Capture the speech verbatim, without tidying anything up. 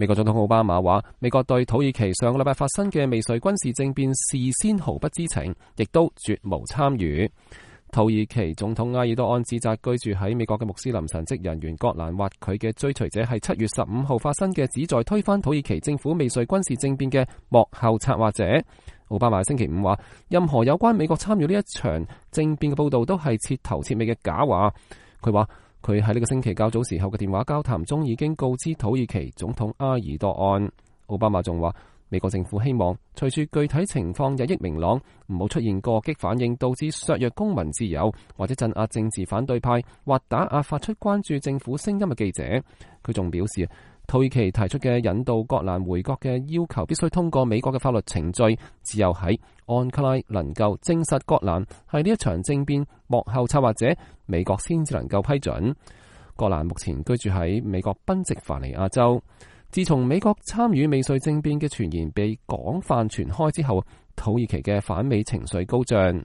美國總統奧巴馬話，美國對土耳其上個禮拜發生嘅未遂軍事政變事先毫不知情，亦都絕無參與。土耳其總統埃爾多安指責居住喺美國嘅穆斯林神職人員葛蘭或佢嘅追隨者係七月十五號發生嘅旨在推翻土耳其政府未遂軍事政變嘅幕後策劃者。奧巴馬星期五話，任何有關美國參與呢一場政變嘅報道都係徹頭徹尾嘅假話。佢話佢喺呢個星期較早時候嘅電話交談中已經告知土耳其總統埃爾多安。奧巴馬仲話，美國政府希望隨住具體情況日益明朗，唔好出現過激反應，導致削弱公民自由，或者鎮壓政治反對派，或打壓發出關注政府聲音嘅記者。佢仲表示，土耳其提出嘅引渡葛蘭回國嘅要求必須通過美國嘅法律程序，只有喺安卡拉能夠證實葛蘭係呢一場政變幕後策劃者，美國先至能夠批准。葛蘭目前居住喺美國賓夕法尼亞州。自從美國參與未遂政變嘅傳言被廣泛傳開之後，土耳其嘅反美情緒高漲。